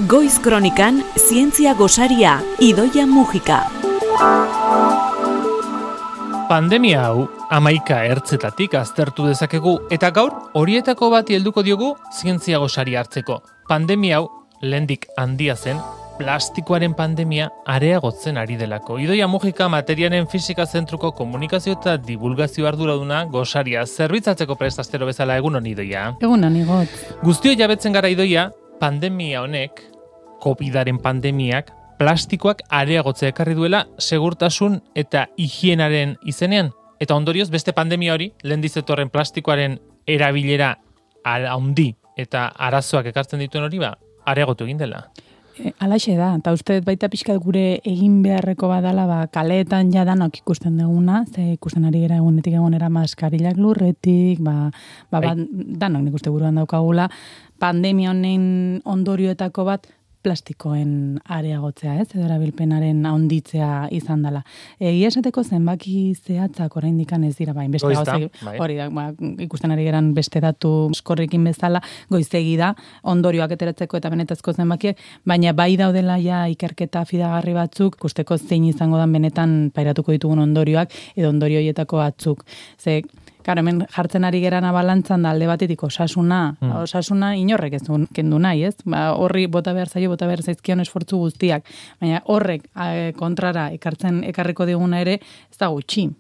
Goiz Kronikan, zientzia gosaria, Idoia Mujika. Pandemia hau 11 ertzetatik aztertu dezakegu eta gaur horietako bati helduko diogu zientzia gosaria hartzeko. Pandemia hau lehendik handia zen, plastikoaren pandemia areagotzen ari delako. Idoia Mujika materialen fisika zentruko komunikazio eta divulgazio arduraduna gosaria zerbitzatzeko prest astero bezala. Egunon, Idoia. Egunon, Igot. Guztio jabetzen gara, Idoia, pandemia honek, COVID-aren pandemiak, plastikoak areagotzea ekarri duela segurtasun eta higienaren izenean. Eta ondorioz beste pandemia hori, lehen dizetorren plastikoaren erabilera handi eta arazoak ekartzen dituen hori, areagotu egin dela. Alaxe da, eta uste baita pixkat gure egin beharreko badala, kaleetan ja danok ikusten duguna, ze ikusten ari gara egunetik egonera maskarilak lurretik, danok nik uste buruan daukagula, pandemia honen ondorioetako bat, plastikoen areagotzea, edo erabilpenaren handitzea izan dela. Egia esateko zenbaki zehatzak oraindik ez dira, beste hori da, ikusten ari geran beste datu eskorrekin bezala, goizegi da, ondorioak eteratzeko eta benetazko zenbakiek, baina bai daudela ja ikerketa fidagarri batzuk, ikusteko zein izango dan benetan pairatuko ditugun ondorioak, edo ondorio horietako batzuk. Ze, hemen jartzen ari gerana balantzan da alde batetik osasuna inorrek ez kendu nahi, ez? Horri bota behar zaizkion esfortzu guztiak, baina horrek kontrara ekarriko diguna ere, ez da gutxi.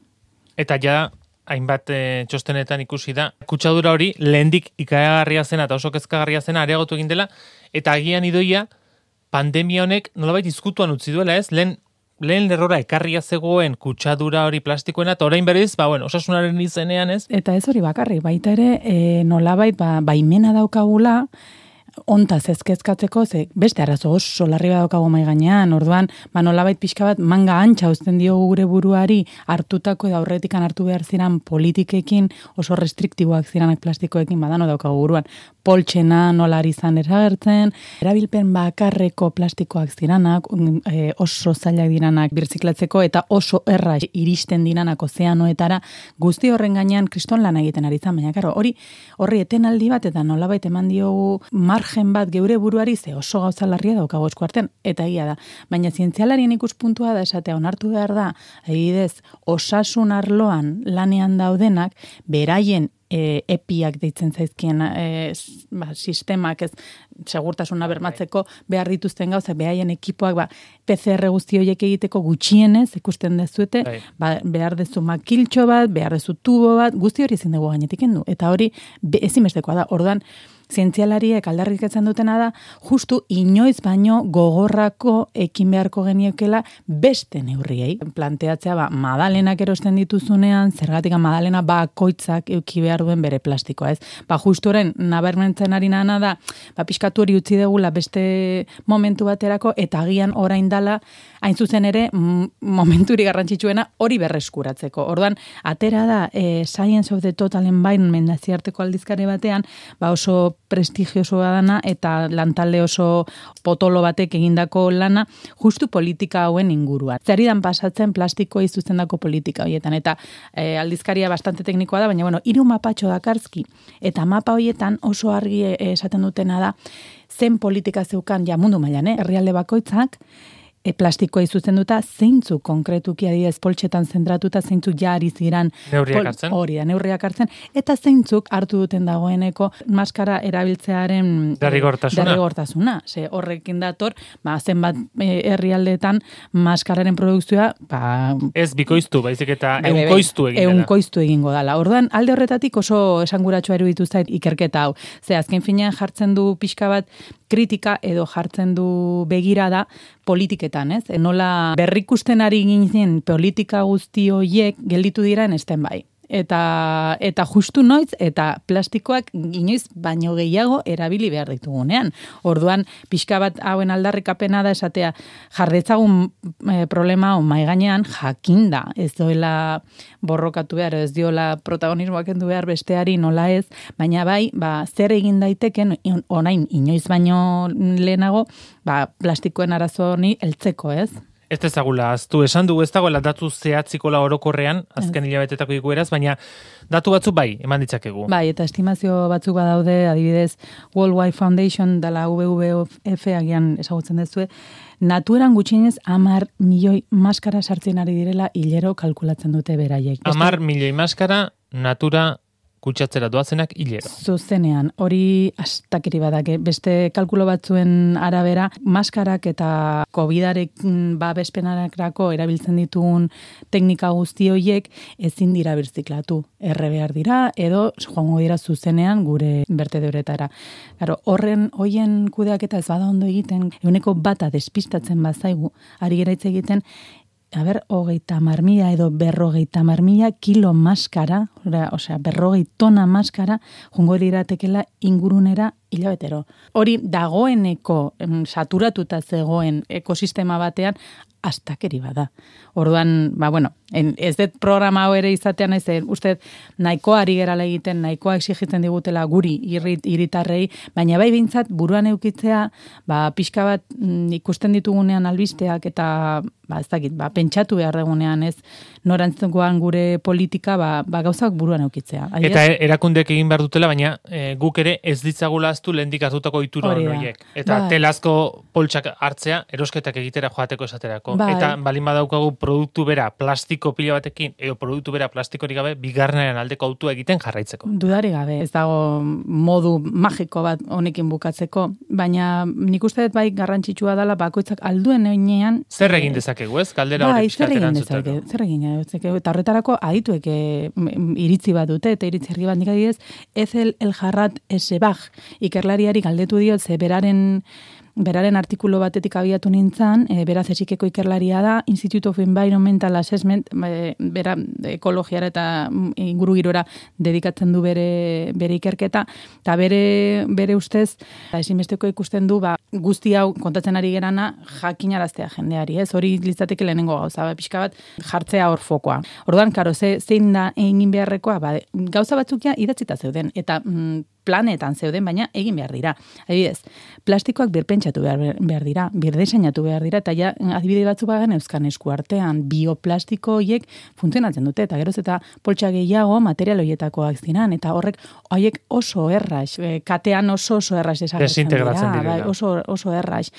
Eta ja, hainbat txostenetan ikusi da, kutsadura hori lehendik ikagarria zena eta oso kezkagarria zena areagotu egin dela, eta agian, Idoia, pandemia honek nolabait izkutuan utzi duela, ez? Lehen lerrora ekarria zegoen kutsadura hori plastikoena, eta orain berriz, osasunaren izenean, ez? Eta ez hori bakarrik, baita ere, nolabait, baimena daukagula, ontaz ezkezkatzeko, beste arazo oso larri daukagu mai gainean, orduan, nolabait pixka bat manga antxa uzten diogu gure buruari hartutako edo aurretikan hartu behar ziren politikekin, oso restriktiboak ziranak plastikoekin badano daukagu buruan. Poltsena nola ari zan eragertzen, erabilpen bakarreko plastikoak ziranak, oso zailak diranak birziklatzeko eta oso erra iristen diranak ozeanoetara, guzti horren gainean kriston lan egiten ari zan, baina karo, horri etenaldi bat eta nolabait eman diogu margen bat geure buruari ze oso gauza larria daukago esku artean, eta egia da. Baina zientzialarien ikuspuntua da esatea onartu behar da, adibidez, osasun arloan lanean daudenak, beraien epiak deitzen zaizkien sistemak ez segurtasuna bermatzeko behar dituzten gauza, behaien ekipoak PCR guzti horiek egiteko gutxienez ikusten dezuete, behar dezu makiltxo bat, behar dezu tubo bat, guzti hori ezin dugu gainetik kendu. Eta hori ezinbestekoa da. Orduan, zientzialariek aldarrikatzen dutena da, justu inoiz baino gogorrako ekin beharko geniokela beste neurriei. Planteatzea, madalenak erosten dituzunean, zergatik madalena bakoitzak euki behar duen bere plastikoa, ez? Justu horren, nabarmentzen ari nana da, pixkatu hori utzi degula beste momentu baterako, eta agian orain dala, hain zuzen ere, momenturi garrantzitsuena hori berreskuratzeko. Orduan, atera da, Science of the Total Environment naziarteko aldizkari batean, oso prestigiosoa dana eta lantalde oso potolo batek egindako lana justu politika hauen inguruan. Zeridan pasatzen plastikoa izuzendako politika horietan, eta aldizkaria bastante teknikoa da, baina 3 mapatxo dakarzki, eta mapa horietan oso argi esaten dutena da, zen politika zeukan mundu mailan, herrialde bakoitzak, plastikoa izuzenduta, zeintzuk konkretuki adibidez poltsetan zentratuta, zeintzuk ja ari ziran neurriak hartzen, eta zeintzuk hartu duten dagoeneko maskara erabiltzearen derrigortasuna. Horrekin dator, zenbat herrialdeetan maskararen produkzioa ez bikoiztu, baizik eta ehunkoiztu egingo dela. Orduan, alde horretatik oso esanguratsua eruditu zait ikerketa hau. Azken finean jartzen du pixka bat kritika edo jartzen du begirada politiketan, ez? Nola berrikusten ari ginen politika guzti horiek gelditu dira esten bai. Eta justu noiz, eta plastikoak inoiz baino gehiago erabili behar ditugunean. Orduan, pixka bat hauen aldarrikapena da esatea, jardetzagun problema hau maiganean jakinda, ez doela borrokatu behar, ez diola protagonismoak endu behar besteari nola ez, baina bai, zer egin daiteken, orain inoiz baino lehenago, plastikoen arazo honi heltzeko, ez? Ez ezagula, aztu esan dugu ez dagoela datu zehatzikola orokorrean, azken hilabetetako ikueraz, baina datu batzu bai, eman ditzakegu. Bai, eta estimazio batzuk badaude, adibidez, World Wide Foundation dela WWF agian ezagutzen dezue, natueran gutxienez 10 milioi maskara sartzen ari direla hilero kalkulatzen dute beraiek. 10 milioi maskara natura kutsatzera doazenak hilero. Zuzenean, hori astakeri badake. Beste kalkulo batzuen arabera, maskarak eta COVIDarek babespenarako erabiltzen ditugun teknika guzti horiek ezin dira birziklatu. Erre behar dira, edo joango dira zuzenean gure bertedoretara. Claro, hoien kudeaketa ez bada ondo egiten, 1% despistatzen bazaigu, ari gera hitz egiten, 30.000 edo 50.000 kilo maskara, osea, 40 tona maskara, jungo diratekela ingurunera hilabetero. Hori dagoeneko saturatuta zegoen ekosistema batean, astakeri bada. Orduan, ez dut programa hau ere izatean ez, uste nahikoa ari gerala egiten, nahikoa exigitzen digutela guri hiritarrei, baina bai behintzat buruan eukitzea, pixka bat ikusten ditugunean albisteak eta ez dakit, pentsatu behar dugunean ez, norantzekoan gure politika, gauzak buruan eukitzea. Eta erakundeek egin behar dutela, baina guk ere ez ditzagula aztu lehendik hartutako ituro horiek. Eta telazko poltsak hartzea, erosketak egitera joateko esaterako. Eta balin badaukagu produktu bera plastiko pila batekin, edo produktu bera plastikorik gabe, bigarrenaren aldeko autua egiten jarraitzeko. Dudari gabe, ez dago modu magiko bat honekin bukatzeko, baina nik uste dut bai garrantzitsua dela bakoitzak alduen einean. Zer egin dezakegu, ez? Kaldera hori pixkateran zuteko. Zer egin dezakegu, eta horretarako adituek iritzi bat dute, eta iritzi herri bat nik adidez, Ethel El-Harrat Esebag, ikerlariari galdetu dio, ze beraren artikulu batetik abiatu nintzen, beraz esikeko ikerlaria da, Institute of Environmental Assessment, bera ekologiara eta ingurugirora dedikatzen du bere ikerketa, eta bere ustez, ezinbesteko ikusten du, guzti hau kontatzen ari gerana jakinaraztea jendeari, ez? Hori litzateke lehenengo gauza, pixka bat jartzea hor fokoa. Orduan, karo, zein da egin beharrekoa, gauza batzukia idatzita zeuden, eta planetan zeuden, baina egin behar dira. Adibidez, plastikoak birpentsatu behar dira, birdeseinatu behar dira, eta ja, adibide batzu bagan euskan esku artean, bioplastiko horiek funtzionatzen dute, eta geroz eta poltsa gehiago material horietakoak zinan, eta horiek oso erraz, katean oso erraz desintegratzen dira. Oso erraz.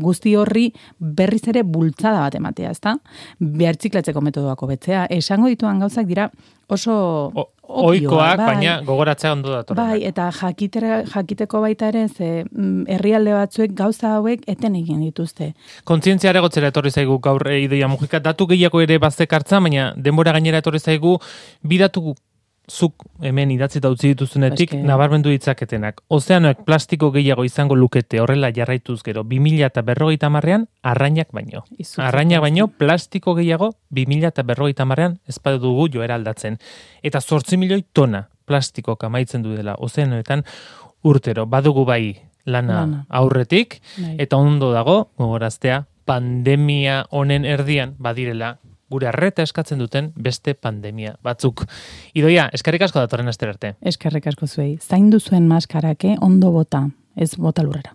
Guzti horri berriz ere bultzada bat ematea, ezta? Behartziklatzeko metodoako betzea. Esango dituan gauzak dira oso ohikoak, baina gogoratzea ondo datorra. Bai, eta jakiteko baita ere, herrialde batzuek gauza hauek eten egin dituzte. Kontzientzia aregotzera etorri zaigu gaur Idoia Mujika, datu gehiago ere baztekartza, baina denbora gainera etorri zaigu, bidatu zuk hemen idatzita utzi dituzunetik nabarmendu ditzaketenak. Ozeanoek plastiko gehiago izango lukete horrela jarraituz gero 2050ean arrainak baino. Arrainak baino plastiko gehiago 2050ean ez badugu joera aldatzen. Eta 8 milioi tona plastikok amaitzen du dela ozeanoetan urtero. Badugu bai lana aurretik eta ondo dago gogoraztea pandemia honen erdian badirela gure arreta eskatzen duten beste pandemia batzuk. Idoia, eskerrik asko datorren astera arte. Eskerrik asko zuei. Zaindu zuen maskarake ondo bota, ez bota lurrera.